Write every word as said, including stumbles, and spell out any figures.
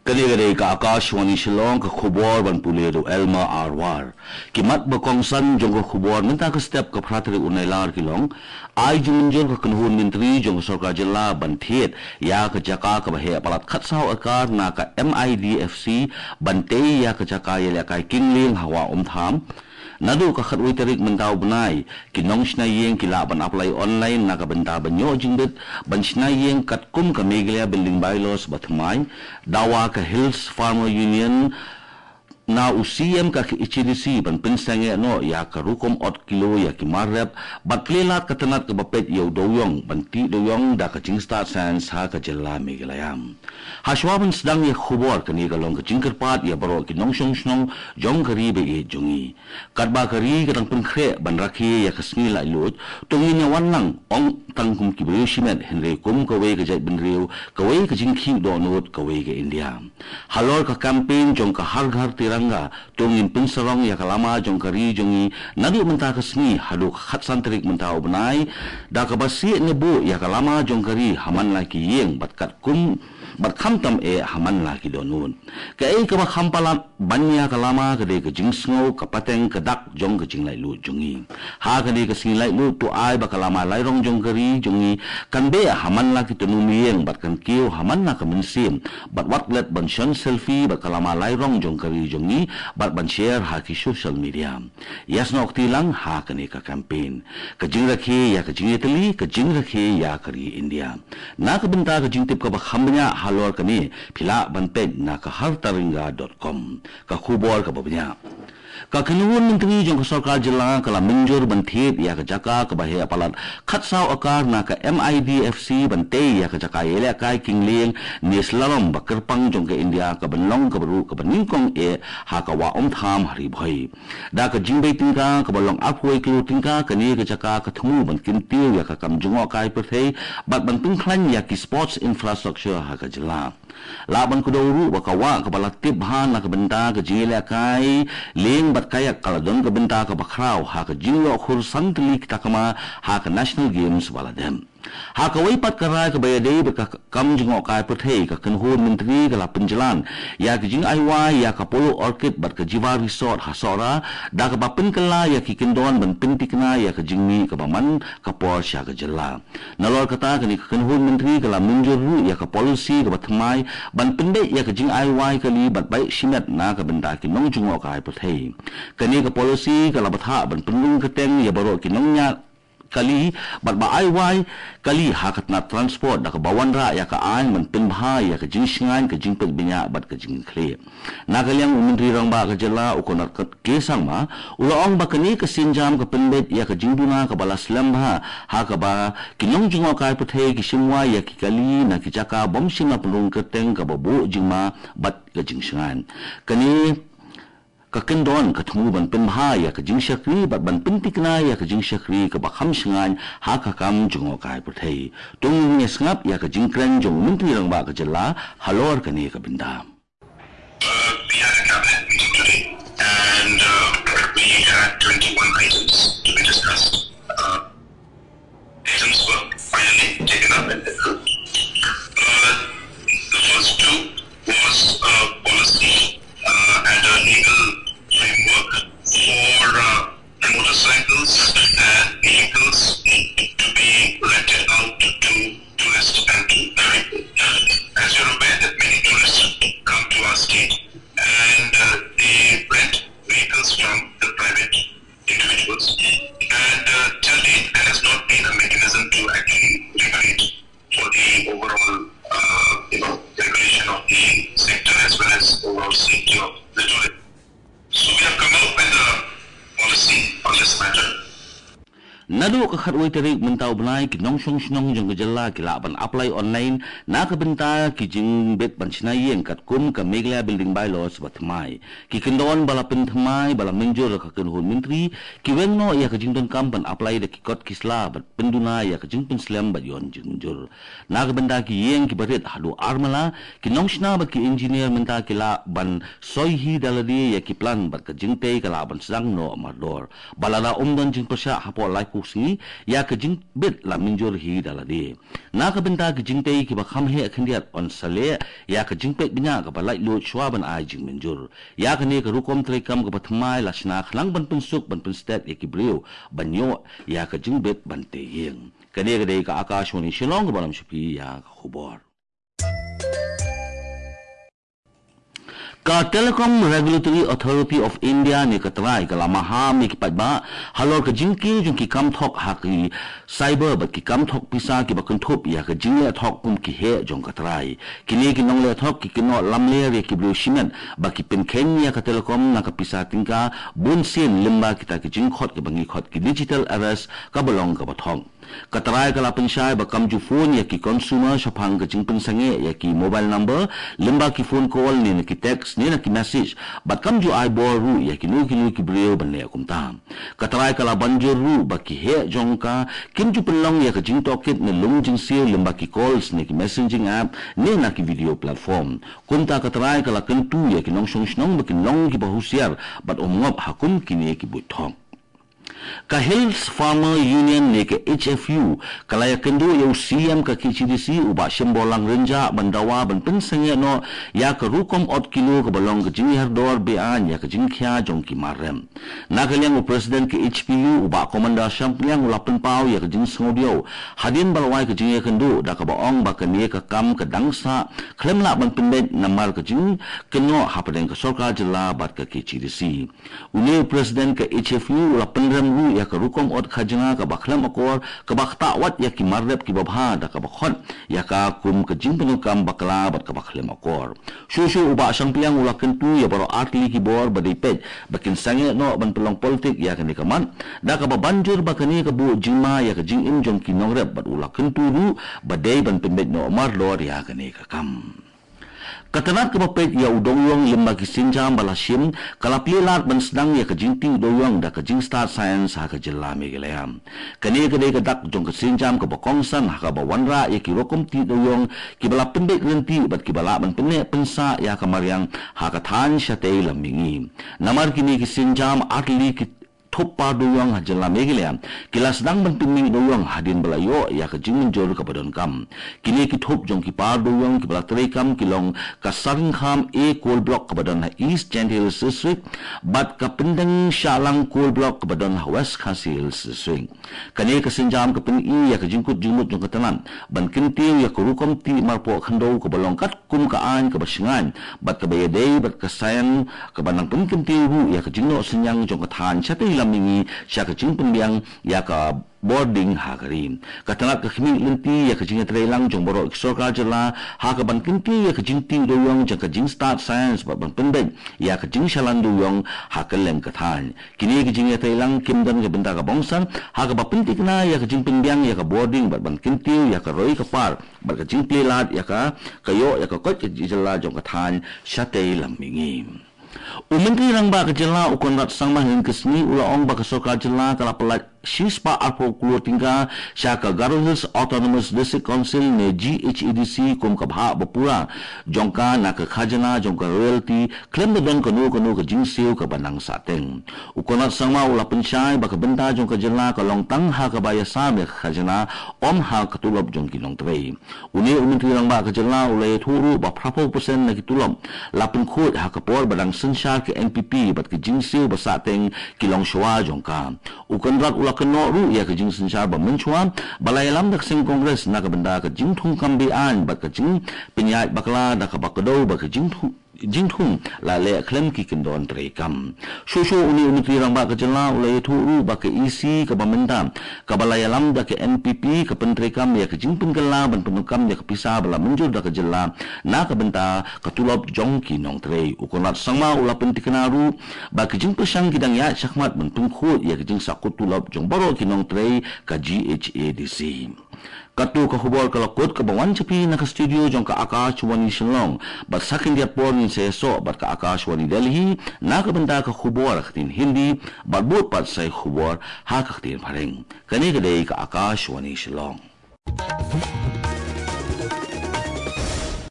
Kane ka dei ka Akashvani Shillong, ka khubor ban pule da u Elma Arwar. Ki mat ba kongsan jong ka khubor mynta ka step ka phra tarik u Nailar ki long: ai jingmynjur ka kynhun myntri jong ka sorkar jylla ban thied ïa ka jaka kaba heh palat khatsaw ekar na ka M I D F C ban tei ïa ka jaka ïalehkai kingleng ha Wah Umtham. Naduh ka khatwei tarik mynta u bnai, ki nongshna ïing ki lah ban apply online na ka bynta ban ïoh jingbit ban shna ïing katkum ka Meghalaya Building Bylaws ba thymmai. Dawa ka Hills Farmer Union na u C E M ka H A D C ban pynsangeh noh ïa ka rukom ot kilo ïa ki mar rep bad plie lad ka tnat kaba peit ïa u dewiong ban tih dewiong da ka jingstad science ha ka jylla Meghalaya. Hashwa ban sdang ïa ka khubor, kane ka long ka jingkyrpad ïa baroh ki nongshong shnong jong ka ri ba ïeit jong ngi. Katba ka ri ka dang pynkhreh ban rakhe ïa ka sngi laitluid, to ngin ïa wan lang ong tang kum ki briew shimet, hynrei kum kawei ka jaitbynriew, kawei ka jingkhih dohnud, kawei ka India. Halor ka campaign jong ka Har Ghar Tiranga, to ngin pynsarong ïa ka lama jong ka ri jong ngi naduh mynta ka sngi haduh ka khatsan tarik mynta u bnai, da kaba sieh ne buh ïa ka lama jong ka ri ha man la ki ïing bad katkum bad khamtam eh ha man la ki dohnud. Kaei kaba kham palat ban ïa ka lama ka dei ka jingsngew, ka pateng, ka dak jong ka jinglaitluid jong ngi. Ha kane ka sngi laitluid, to ai ba ka lama lairong jong ka ri jong ngi kan beh ha man la ki tnum ïing bad kan kiew ha man la ka mynsiem, bad wat klet ban shon selfie bad ka lama lairong jong ka ri jong ngi bad ban share ha ki social media. Ïasnoh kti lang ha kane ka campaign. Ka jingrakhe ïa ka jingïatylli, ka jingrakhe ïa ka ri India. Na ka bynta ka jingtip kaba kham bniah halor kane, phi lah ban peit na ka hartaringa dot com. Ka khubor kaba bniah. Ka kynhun myntri jong ka sorkar jylla ka la mynjur ban thied ïa ka jaka kaba heh palat khatsaw ekar na ka M I D F C ban tei ïa ka jaka ïalehkai kingleng ne slalom ba kyrpang jong ka India, ka ban long kaba ruh kaba nyngkong eh ha ka Wah Umtham ha Ri Bhoi. Da ka jingbei tyngka kaba long arphew kilo tyngka, kane ka jaka ka thmu ban kyntiew ïa ka kam jngohkai pyrthei bad ban pynkhlaiñ ïa ki sports infrastructure ha ka jylla. Lah ban kdew ruh ba ka wah kaba la tip bha na ka bynta ka jingïalehkai leng bad kayak ka la don ka bynta kaba khraw ha ka jingïoh khur san tylli ki takma ha ka National Games ba la dep. Ha kawei pat ka rai kaba ïadei bad ka kam jngohkai pyrthei, ka kynhun myntri ka la pynjlan ïa ka jingai wai ïa ka Polo Orchid bad ka Jiva Resort ha Sohra, da kaba pynkylla ïa ki kyndon ban pynthikna ïa ka jingmih kaba man ka por sha ka jylla. Nalor kata, kane ka kynhun myntri ka la mynjur ruh ïa ka policy kaba thymmai ban pynbeit ïa ka jingai wai kali bad beit shimet na ka bynta ki nongjngohkai pyrthei. Kane ka policy ka la bthah ban pynrung kyrteng ïa baroh ki nongñiah kali bad ba ai wai kali ha ka tnat transport, da kaba wanrah ïa ka aiñ ban pynbha ïa ka jingshngaiñ, ka jingpeit bniah bad ka jingkitkhlieh. Na ka liang u Myntri Rangbah ka jylla, u Conrad K Sangma, u la ong ba kane ka sienjam ka pynbeit ïa ka jingduna kaba la slem bha, ha kaba ki nongjngohkai pyrthei ki shim wai ïa ki kali na ki jaka bym shym la pynrung kyrteng, kaba buh jingma bad ka jingshngaiñ. Kane ka kyndon ka thmu ban pynbha ïa ka jingshakri bad ban pynthikna ïa ka jingshakri kaba kham shngaiñ ha ka kam jngohkai pyrthei. To ngin ïa sngap ïa ka jingkren jong u Myntri Rangbah ka jylla halor kane ka bynta. Uh, we had a cabinet meeting today, and uh, we had twenty-one items to be discussed. Uh, items were finally taken up and approved. Uh, the first two was a policy uh, and a legal framework for uh, motorcycles and vehicles to be rented out to tourists and to people. As you're aware that many tourists come to our state and uh, they rent vehicles from the private individuals. And uh, till date, there has not been a mechanism to actually regulate for the overall, uh, you know, regulation of the sector as well as overall safety of the tourist. So we have come out with a policy on this matter. Naduh ka khatwei tarik mynta u bnai, ki nongshong shnong jong ka jylla ki lah ban apply online na ka bynta ki jingbit ban shna ïing katkum ka Meghalaya Building Bylaws ba thymmai. Ki kyndon ba la pynthymmai ba la mynjur da ka kynhun myntri ki weng noh ïa ka jingdonkam ban apply da ki kot ki sla bad pynduna ïa ka jingpynslem bad ïoh jingmynjur. Na ka bynta ki ïing kiba rit haduh ar mala, ki nongshna bad ki engineer mynta ki lah ban soi hi da lade ïa ki plan bad ka jingtei ka lah ban sdang noh mardor. Ba lada ym don jingpyrshah hapoh laiphew ïa ka jingbit la mynjur hi da lade. Na ka bynta ki jingtei kiba kham heh khyndiat yn sa leh ïa ka jingpeit bniah kaba laitluid shwa ban ai jingmynjur. Ïa kane ka rukom treikam kaba thymmai la shna khnang ban pynsuk ban pynstet ïa ki briew ban ïoh ïa ka jingbit ban tei ïing. Kane ka dei ka Akashvani Shillong kaba lam sha phi ïa ka khubor. Ka Telecom Regulatory Authority of India ne ka trai ka la maham ïa ki paidbah halor ka jingkiew jong ki kam thok ha ki cyber bad ki kam thok pisa kiba kynthup ïa ka jingleh thok kum ki heh jong ka trai. Kine ki nongleh thok ki kynnoh lamler ïa ki briew shimet ba ki pynkheiñ ïa ka telecom na ka pisa tyngka bun sien lyngba kita ki jingkhot kiba ngi khot ki digital arrest kaba long kaba thok. Ka trai ka la pynshai ba kam ju phone ïa ki consumer shaphang ka jingpynsangeh ïa ki mobile number, lyngba ki phone call ne na ki text ne na ki message, bad kam ju ai bor ruh ïa kino kino ki briew ban leh kumta. Ka trai ka la ban jur ruh ba ki heh jong ka kim ju pynlong ïa ka jingtohkit ne lung jingsiew lyngba ki calls ne ki messaging app ne na ki video platform. Kumta ka trai ka la kyntu ïa ki nongshong shnong ba kin long kiba husiar bad ym ngop ha kum kine ki buit thok. Ka Hills Farmer Union ne ka H F U ka la ïakynduh ïa u C E M ka K H A D C u Bah Shemborlang Rynjah ban dawa ban pynsangeh noh ïa ka rukom ot kilo kaba long ka jingïardor beaiñ ïa ka jingkhia jong ki mar rep. Na ka liang u President ka H P U u Bah Commander Shangpliang u la pynpaw ïa ka jingsngewdiaw hadien ba la wai ka jingïakynduh da kaba ong ba kane ka kam ka dang sah khlem lah ban pynbeit namar ka jingkynnoh hapdeng ka sorkar jylla bad ka K H A D C. Une u President ka H F U u la pynrem ruh ïa ka rukom ot khajna kaba khlem akor kaba ktah wat ïa ki mar rep kiba bha da kaba khot ïa ka kum ka jingpyndonkam bakla bad kaba khlem akor. Shuh shuh u Bah Shangpliang u la kyntu ïa baroh artylli ki bor ba dei peit ba kin sangeh noh ban pynlong politik ïa kane ka mat da kaba ban jur ba kane ka buh jingma ïa ka jingim jong ki nongrep bad u la kyntu ruh ba dei ban pynbeit noh mardor ïa kane ka kam. Ka tnat kaba peit ïa u dewïong lyngba ki sienjam ba la shim ka la plie lad ban sdang ïa ka jingtih dewïong da ka jingstad science ha ka jylla Meghalaya. Kane ka dei ka dak jong ka sienjam kaba kongsan ha kaba wanrah ïa ki rukom tih dewïong kiba la pynbeit lynti bad kiba lah ban pynneh pynsah ïa ka mariang ha ka thaiñ shatei lam mihngi. Namar kine ki sienjam artylli ki thup par dewïong ha jylla Meghalaya ki la sdang ban pynmih dewïong hadien ba la ïoh ïa ka jingmynjur kaba donkam. Kine ki thup jong ki par dewïong kiba la treikam ki long ka Saringkham A Coal Block kaba don ha East Jaintia Hills District bad ka Pyndenshahlang Coal Block kaba don ha West Khasi Hills District. Kane ka sienjam ka pyni ïa ka jingkut jingmut jong ka tnat ban kyntiew ïa ka rukom tih marpoh khyndew kaba long kat kum ka aiñ kaba shngaiñ bad kaba ïadei bad ka science kaba nang pynkyntiew ruh ïa ka jingnoh synñiang jong ka thaiñ shatei lam mihngi sha ka jingpynbiang ïa ka bording ha ka ri. Ka tnat ka khmih lynti ïa ka jingïatreilang jong baroh ki sorkar jylla ha kaban kyntiew ïa ka jingtih dewïong jong ka jingstad science bad ban pynbeit ïa ka jingshalan dewïong ha kylleng ka thaiñ. Kine ki jingïatreilang kim don ka bynta ka bongsan ha kaba pynthikna ïa ka jingpynbiang ïa ka bording bad ban kyntiew ïa ka roi ka par bad ka jingplie lad ïa ka ka ïoh ïa ka koit ka jylla jong ka thaiñ shatei lam mihngi. U Myntri Rangbah ka jylla u Conrad Sangma hynne ka sngi u la ong ba ka sorkar jylla ka la pyllait shispah arphew klur tyngka sha ka Garo Hills Autonomous District Council ne G H A D C kum ka bhah ba pura jong ka na ka khajna jong ka royalty khlem da don kano kano ka jingsiew kaba nang sahteng. U Conrad Sangma u la pynshai ba ka bynta jong ka jylla ka long tang ha kaba ïasam ïa ka khajna, ym ha ka tulop jong ki nongtrei. Une u Myntri Rangbah ka jylla u la ïathuh ruh ba phra phew percent na ki tulop la pynkhuid ha ka por ba dang synshar ka N P P bad ka jingsiew ba sahteng ki long shuwa jong ka. U Conrad u la kynnoh ruh ïa ka jingsynshar ba mynshuwa ba la ïalam da ka seng Congress na ka bynta ka jingthung kam beaiñ bad ka jingpynïaid bakla da kaba kdew ba ka jingthung jingthung la leh khlem ki kyndon treikam. Shuh shuh une u Myntri Rangbah ka jylla u la ïathuh ruh ba ka E C kaba mynta kaba la ïalam da ka N P P ka pyntreikam ïa ka jingpynkylla ban pyndonkam ïa ka pisa ba la mynjur da ka jylla na ka bynta ka tulop jong ki nongtrei. U Conrad Sangma u la pynthikna ruh ba ka jingpyrshang ki dang ïaid shakhmat ban pynkhuid ïa ka jingsahkut tulop jong baroh ki nongtrei ka G H A D C. Kato ka khubor ka la kut kaba wan sha phi na ka studio jong ka Akashvani Shillong. Bad sa khyndiat por ngin sa ïasoh bad ka Akashvani Delhi na ka bynta ka khubor ha ka ktien Hindi bad bud pat sa ïa ka khubor ha ka ktien Phareng. Kane ka dei ka Akashvani Shillong.